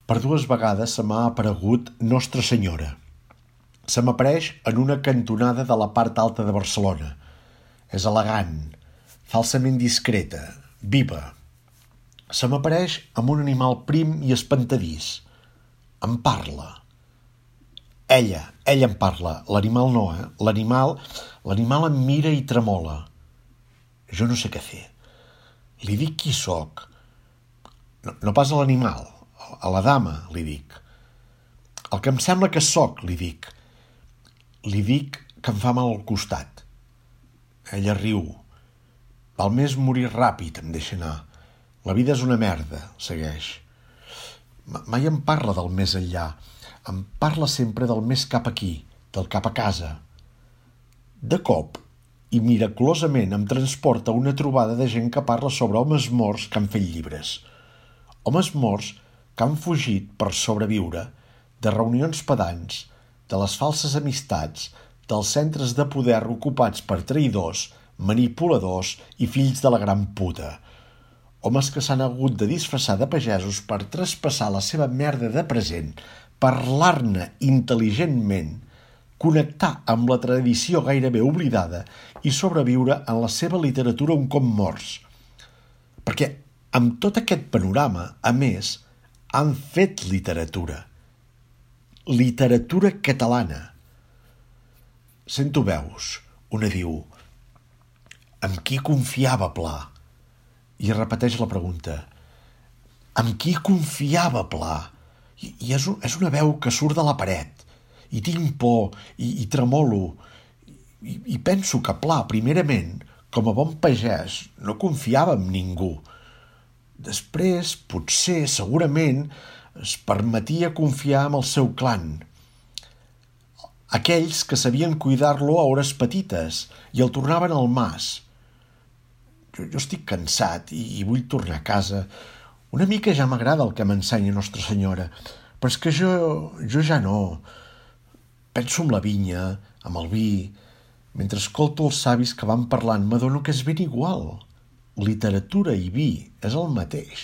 Per 2 vegades se m'ha aparegut Nostra Senyora. Se m'apareix en una cantonada de la part alta de Barcelona. És elegant, falsament discreta, viva. Se m'apareix amb un animal prim i espantadís. Em parla. Ella em parla. L'animal no, L'animal em mira i tremola. Jo no sé què fer. Li dic qui sóc. No pas a l'animal, a la dama, li dic. El que em sembla que sóc, li dic. Li dic que em fa mal al costat. Ella riu. Val més morir ràpid, em deixa anar. La vida és una merda, segueix. Mai em parla del més enllà. Em parla sempre del més cap aquí, del cap a casa. De cop, i miraculosament em transporta a una trobada de gent que parla sobre homes morts que han fet llibres. Homes morts que han fugit per sobreviure de reunions pedants, de les falses amistats, dels centres de poder ocupats per traïdors, manipuladors i fills de la gran puta. Homes que s'han hagut de disfressar de pagesos per traspassar la seva merda de present, parlar-ne intel·ligentment, connectar amb la tradició gairebé oblidada i sobreviure en la seva literatura un cop morts. Perquè amb tot aquest panorama, a més, han fet literatura. Literatura catalana. Sento veus. Una diu: amb qui confiava Pla? I repeteix la pregunta: amb qui confiava Pla? I és una veu que surt de la paret. I tinc por, i tremolo. I penso que Pla, primerament, com a bon pagès, no confiava en ningú. Després, potser, segurament, es permetia confiar en el seu clan. Aquells que sabien cuidar-lo a hores petites i el tornaven al mas. Jo estic cansat i vull tornar a casa. Una mica ja m'agrada el que m'ensenya Nostra Senyora, però és que jo ja no. Penso en la vinya, amb el vi. Mentre escolto els savis que van parlant m'adono que és ben igual. Literatura i vi és el mateix.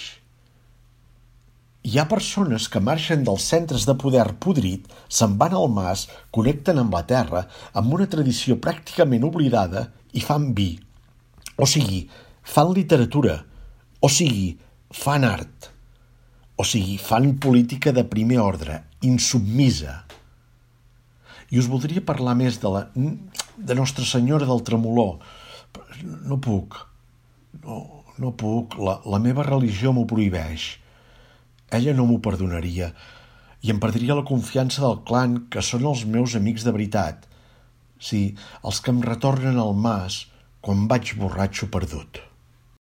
Hi ha persones que marxen dels centres de poder podrit, se'n van al mas, connecten amb la terra, amb una tradició pràcticament oblidada i fan vi. O sigui, fan literatura. O sigui, fan art. O sigui, fan política de primer ordre, insubmisa. I us voldria parlar més de Nostra Senyora del Tremolor. No puc. No puc. La meva religió m'ho prohibeix. Ella no m'ho perdonaria. I em perdria la confiança del clan, que són els meus amics de veritat. Sí, els que em retornen al mas quan vaig borratxo perdut.